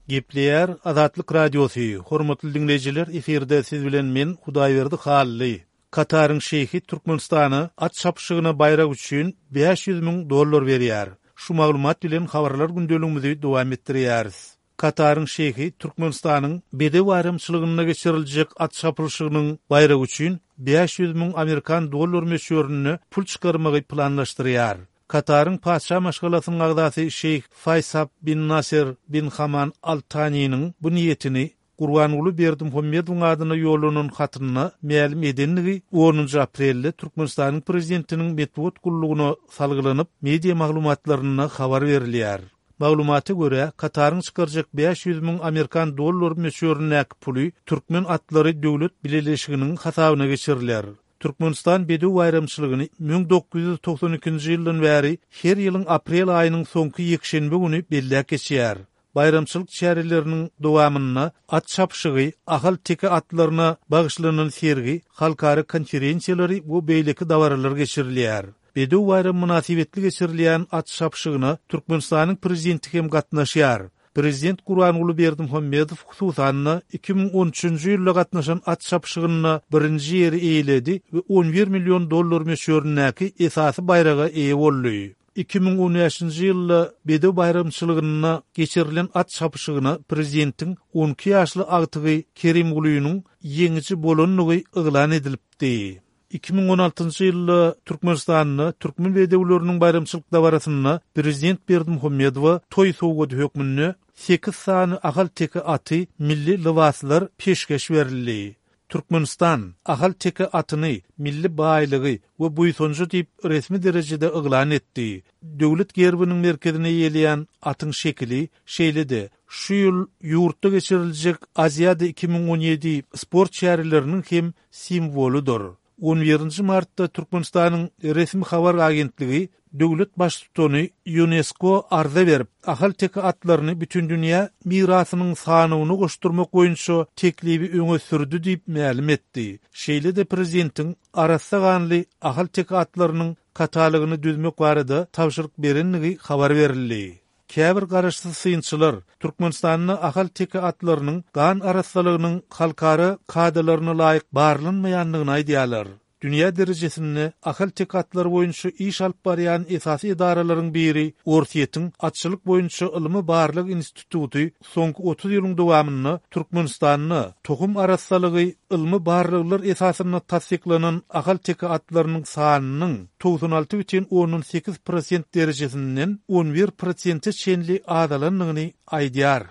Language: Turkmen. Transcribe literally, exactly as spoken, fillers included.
Gepleýär Azatlyk Radiosy, hormatly diňleýjiler, efirde siz bilen men Hudaýberdi Hally. Kataryň şeýhi Türkmenistana at çapyşygyna baýrak üçin bäş ýüz müň dollar berýär. Şu maglumat bilen habarlar gündeligimizi dowam etdirýäris. Kataryň şeýhi Türkmenistanyň Bedew baýramçylygynda geçiriljek at çapylyşygynyň baýragy üçin bäş ýüz müň amerikan dollar möçberinde pul çykarmagy planlaşdyrýar. Kataryň patyşa maşgalasynyň agzasy şeýh Faýsal bin Naser bin Haman Al Taniniň bu niýetini Gurbanguly Berdimuhamedowyň adyna ýollanan hatynda mälim edendigi onunjy aprelde Türkmenistanyň Prezidentiniň metbugat gullugyna salgylanyp, media maglumatlarynda habar berilýär. Maglumata görä, Kataryň çykarjak bäş ýüz müň amerikan dollar möçberindäki puly Türkmen atlary döwlet bileleşiginiň hasabyna geçiriler. Türkmenistan Bedew baýramçylygyny müň dokuz ýüz togsan ikinji ýyldan bäri her ýylyň aprel aýynyň soňky ýekşenbe güni belläp geçýär. Baýramçylyk çäreleriniň dowamynda at çapyşygy, ahal-teke atlaryna bagyşlanan sergi, halkara konferensiýalary we beýleki dabaralar geçirilýär. Bedew baýramy mynasybetli geçirilýän at çapyşygyna Türkmenistanyň Prezidenti hem gatnaşýar. Prezident Gurbanguly Berdimuhamedow hususan-da iki müň on üçünji ýylda gatnaşan at çapyşygynda birinji ýeri eýeledi we on bir million dollar möçberindäki esasy baýraga eýe boldy. Iki müň on bäşinji ýylda Bedew baýramçylygynda geçirilen at çapyşygyna prezidentiň on iki ýaşly agtygy Kerimgulynyň ýeňiji bolandygy yglan edilipdi. Iki müň on altynjy ýylda Türkmenistanda türkmen bedewleriniň baýramçylyk dabarasynda prezident Berdimuhamedowa toý sowgady hökmünde sekiz sany ahal-teke aty milli lybaslar peşgeş berildi. Türkmenistan ahal-teke atyny milli baýlygy we buýsanjy diýip resmi derejede yglan etdi. Döwlet gerbiniň merkezine eýeleýän atyň şekili şeýle-de şu ýyl ýurtda geçiriljek Aziada iki müň on ýedi sport çäreleriniň hem simwolydyr. On birinji martda Türkmenistanyň resmi habar agentligi döwlet baştutany Ýunesko arza berip, ahal-teke atlaryny bütindünýä mirasynyň sanawyna goşdurmak boýunça teklibi öňe sürdi diýip mälim etdi. Şeýle-de prezidentiň arassa ganly ahal-teke atlarynyň katalogyny düzmek barada tabşyryk berendigi habar berildi. Käbir garaşsyz synçylar Türkmenistanda ahal-teke atlarynyň gan arassalygynyň halkara kadalaryna laýyk barlanmaýandygyny aýdýarlar. Dünýä derejesinde ahal-teke atlary boýunça iş alyp barýan esasy edaralaryň biri Orsýetiň Atçylyk boýunça ylmy barlag instituty soňky otuz ýylyň dowamynda Türkmenistanda tohum arassalygy ylmy barlaglar esasynda tassyklanan ahal-teke atlarynyň sanynyň togsan alty bütin ondan sekiz prosent derejesinden on bir prosente çenli azalandygyny aýdýar.